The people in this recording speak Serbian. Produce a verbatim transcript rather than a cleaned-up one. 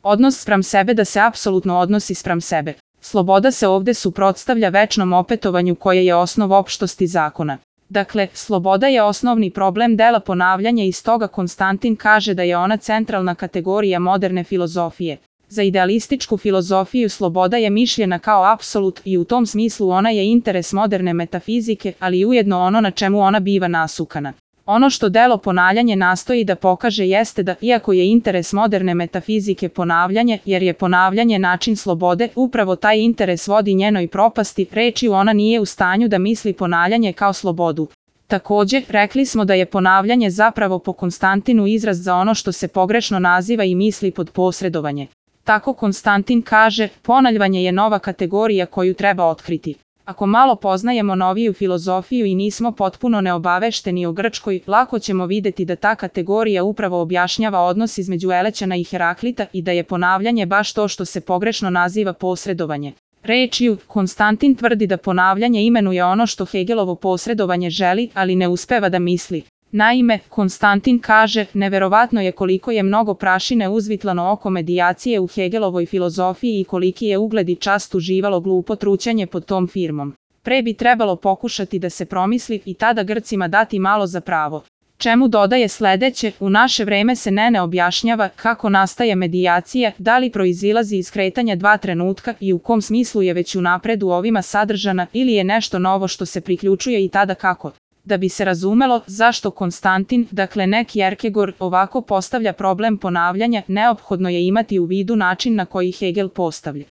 Odnos spram sebe da se apsolutno odnosi spram sebe. Sloboda se ovde suprotstavlja večnom opetovanju koje je osnov opštosti zakona. Dakle, sloboda je osnovni problem dela ponavljanja i stoga Konstantin kaže da je ona centralna kategorija moderne filozofije. Za idealističku filozofiju sloboda je mišljena kao apsolut i u tom smislu ona je interes moderne metafizike, ali i ujedno ono na čemu ona biva nasukana. Ono što delo ponavljanje nastoji da pokaže jeste da, iako je interes moderne metafizike ponavljanje, jer je ponavljanje način slobode, upravo taj interes vodi njenoj propasti, rečju ona nije u stanju da misli ponavljanje kao slobodu. Takođe, rekli smo da je ponavljanje zapravo po Konstantinu izraz za ono što se pogrešno naziva i misli pod posredovanje. Tako Konstantin kaže, ponavljanje je nova kategorija koju treba otkriti. Ako malo poznajemo noviju filozofiju i nismo potpuno neobavešteni o Grčkoj, lako ćemo videti da ta kategorija upravo objašnjava odnos između Elećana i Heraklita i da je ponavljanje baš to što se pogrešno naziva posredovanje. Rečju, Konstantin tvrdi da ponavljanje imenuje ono što Hegelovo posredovanje želi, ali ne uspeva da misli. Naime, Konstantin kaže, neverovatno je koliko je mnogo prašine uzvitlano oko medijacije u Hegelovoj filozofiji i koliki je ugled i čast uživalo glupo trućanje pod tom firmom. Pre bi trebalo pokušati da se promisli i tada Grcima dati malo za pravo. Čemu dodaje sledeće, u naše vreme se ne ne objašnjava kako nastaje medijacija, da li proizilazi iz kretanja dva trenutka i u kom smislu je već unapred u ovima sadržana ili je nešto novo što se priključuje i tada kako. Da bi se razumelo zašto Konstantin, dakle ne Kierkegaard, ovako postavlja problem ponavljanja, neophodno je imati u vidu način na koji Hegel postavlja.